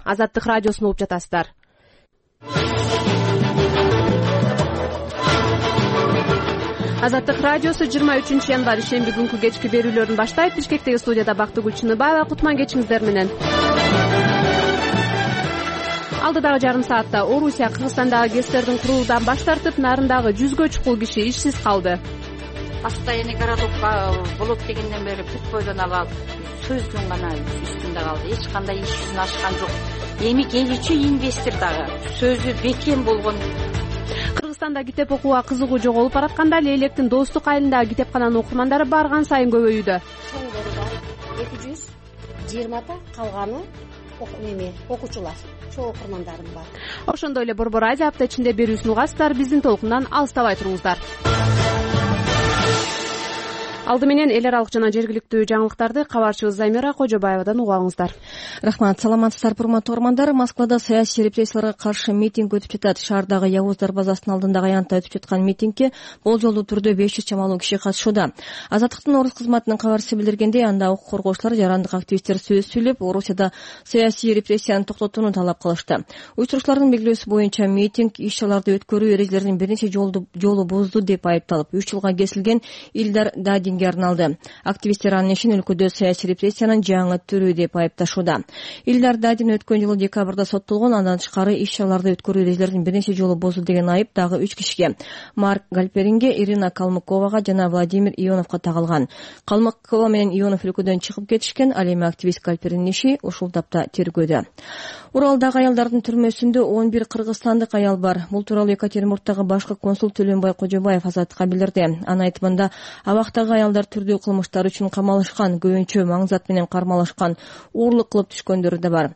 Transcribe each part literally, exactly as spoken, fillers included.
Азаттык радиосун угуп жатасыздар. Азаттык радиосу жыйырма үчүнчү январь шемби күнкү кечки берүүлөрүн баштайт. Бишкектеги студияда Бактыгүл Чыныбаева. Кутман кечиңиздер менен. Алдыдагы жарым саатта Орусия Кыргызстандагы ГЭСтердин куруудан баш тартып, нарындагы жүзгө чукул киши ишсиз калды. Постоянный городокко болот дегенден бери бүт бойдон алып сөздүн гана үстүндө калды. Эч кандай иш жүзүнө ашкан жок. Эми келүүчү инвестор дагы сөзү бекем болгон. Кыргызстанда китеп окууга кызыгуу жоголуп баратканда Лейлектин Достук айылындагы китепкананын окурмандары барган сайын көбөйүүдө. Чоңдору бар эки жүз жыйырмата, калганы эме окуучулар, чоң окурмандарым бар. Ошондой эле Борбор радио апта ичинде берүүсүн угасыздар. Биздин толкундан алыстабай туруңуздар. Алды менен эл аралык жана жергиликтүү жаңылыктарды кабарчыбыз Замира Кожобаевадан угабыңыздар. Рахмат, саламатсыздар урматтуу угармандар. Москвада саясий репрессияларга каршы митинг өтүп жатат. Шаардагы Явуз дарбазасынын алдындагы аянтта өтүп жаткан митингке болжолдуу түрдө беш жүз чамалуу киши катышууда. Азаттыктын орус кызматынын кабарчысы билдиргендей, анда укук коргоочулар, жарандык активисттер сөз сүйлөп, Орусияда саясий репрессияны токтотууну талап кылышты. Уюштуруучулардын белгилөөсү боюнча митинг иш-чараларды өткөрүү эрежелерин бир нече жолу бузду деп айыпталып, үч жылга кесилген Илдар Дадин арналды. Активисттер анын ишин өлкөдө саясий репрессиянын жаңы түрү деп айыпташууда. Илдар Дадин өткөн жылы декабрда соттолгон, андан тышкары иш-чараларды өткөрүү эрежелерин бир нече жолу бузду деген айып дагы үч кишиге, Марк Гальперинге, Ирина Калмыковага жана Владимир Ионовго тагылган. Калмыкова менен Ионов өлкөдөн чыгып кетишкен, ал эми активист Гальпериндин иши ушул тапта тергөөдө. Уралдагы аялдардын түрмөсүндө он бир кыргызстандык аял бар. Бул тууралуу Екатеринбургдагы башкы консул Төлөнбай Кожобаев Азаттыкка билдирди. Анын айтымында, абактагы аялдар түрдүү кылмыштар үчүн камалышкан, көбүнчө маңзат менен кармалышкан, уурлук кылып түшкөндөрү да бар.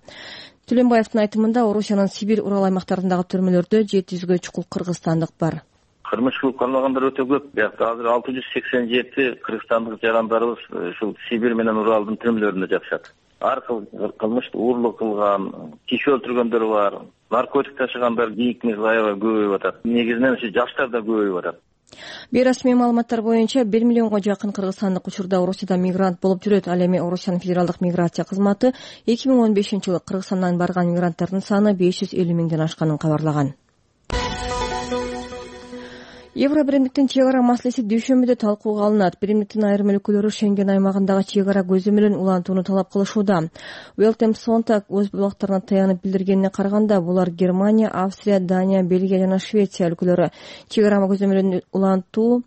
Төлөнбаевдин айтымында, Орусиянын Сибирь, Урал аймактарындагы түрмөлөрдө жети жүзгө чукул кыргызстандык бар. Кылмыш кылып кармагандар өтө көп. Биякта азыр алты жүз сексен жети кыргызстандык жарандарыбыз ушул Сибирь менен Уралдын түрмөлөрүндө жашашат. Ар кыл кылмышты уурлук кылган, киши өлтүргөндөр бар, наркотик ташыгандар ийикмиз аябай көбөйүп атат. Негизинен ушу жаштар да көбөйүп атат. Бейрасмий маалыматтар боюнча бир миллионго жакын кыргызстандык учурда Орусияда мигрант болуп жүрөт. Ал эми Орусиянын федералдык миграция кызматы эки миң он бешинчи жылы Кыргызстандан барган мигранттардын саны беш жүз элүү миңден ашканын кабарлаган. Евробиримдиктин чек ара маселеси дүйшөмбүдө талкууга алынат. Биримдиктин айрым өлкөлөрү Шенген аймагындагы чек ара көзөмөлүн улантууну талап кылышууда. Weltem Sonntag өз булактарына таянып билдиргенине караганда, булар Германия, Австрия, Дания, Бельгия жана Швеция өлкөлөрү. Чек ара көзөмөлүн улантуу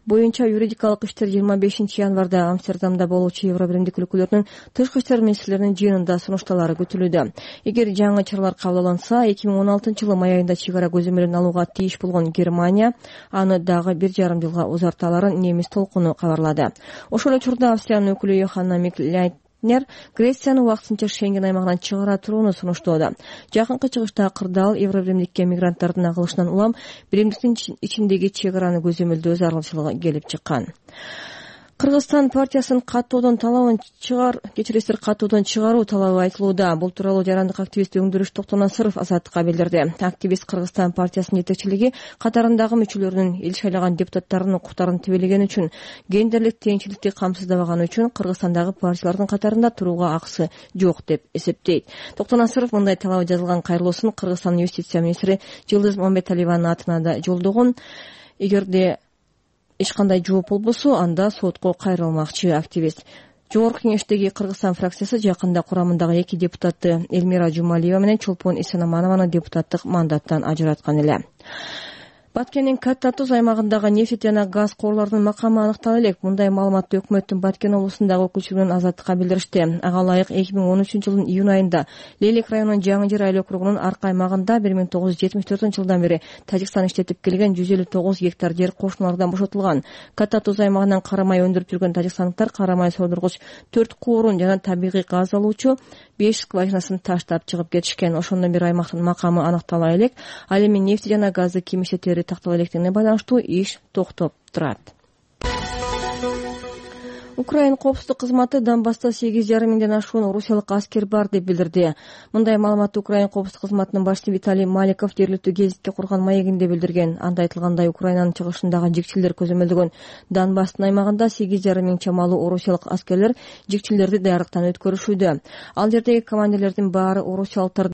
боюнча юридикалык иштер жыйырма бешинчи январда Амстердамда болуучу Евробиримдик өлкөлөрүнүн тышкы иштер министрлеринин жыйынында сунушталары күтүлүүдө. Эгер жаңы чаралар кабыл алынса, эки миң он алтынчы жылы май айында чек ара көзөмөлүн алууга тийиш болгон Германия аны дагы бир жарым жылга узарталарын немис толкуну кабарлады. Ошол учурда Австриянын өкүлү Йоханна Миклайтнер Грецияны убактысынча Шенген аймагынан чыгара турууну сунуштоодо. Жакынкы чыгышта кырдаал Евробиримдикке мигранттардын агылышынан улам биримдиктин ичиндеги чек араны көзөмөлдөө зарылчылыгы келип чыккан. Кыргызстан партиясынын каттоодон талабын чыгар, кечиресиздер каттоодон чыгаруу талабы айтылууда. Бул тууралуу жарандык активист Өңдүрүш Токтонасыров Азаттыкка билдирди. Активист Кыргызстан партиясынын жетекчилиги катарындагы мүчөлөрүнүн эл шайлаган депутаттарынын укуктарын тебелеген үчүн, гендерлик теңчиликти камсыздабаганы үчүн Кыргызстандагы партиялардын катарында турууга акысы жок деп эсептейт. Токтонасыров мындай талабы жазылган кайрылуусун Кыргызстандын юстиция министри Жылдыз Мамбеталиеванын атына да жолдогон. Эгерде эч кандай жооп болбосо, анда сотко кайрылмакчы активист. Жогорку кеңештеги Кыргызстан фракциясы жакында курамындагы эки депутатты Элмира Жумалиева менен Чолпон Исенаманованы депутаттык мандаттан ажыраткан эле. Баткендин Катта Туз аймагындагы нефть жана газ корлорунун макамы аныктала элек. Мындай маалыматты өкмөттүн Баткен облусундагы өкүлчүлүгүнөн Азаттыкка билдиришти. Ага ылайык эки миң он үчүнчү жылдын июнь айында Лейлек районунун Жаңы Жер айыл округунун Арка аймагында бир миң тогуз жүз жетимиш төртүнчү жылдан бери Тажикстан иштетип келген жүз элүү тогуз гектар жер кошуналардан бошотулган. Катта Туз аймагынан карамай өндүрүп жүргөн тажикстандыктар карамай содургуч төрт куурун жана табигый газ алуучу беш скважинасын таштап чыгып кетишкен. Ошондон бери аймактын макамы аныктала элек. Ал эми нефть жана газды ким иштетери тактала электигине байланыштуу иш токтоп турат. Украин коопсуздук кызматы Донбасста сегиз жарым миңден ашуун орусиялык аскер бар деп билдирди. Мындай маалыматты Украин коопсуздук кызматынын башчысы Виталий Маликов жергиликтүү гезитке курган маегинде билдирген. Анда айтылгандай, Украинанын чыгышындагы жикчилдер көзөмөлдөгөн Донбасстын аймагында сегиз жарым миң чамалуу орусиялык аскерлер жикчилдерди даярдыктан өткөрүшүүдө. Ал жердеги командирлердин баары орусиялыктар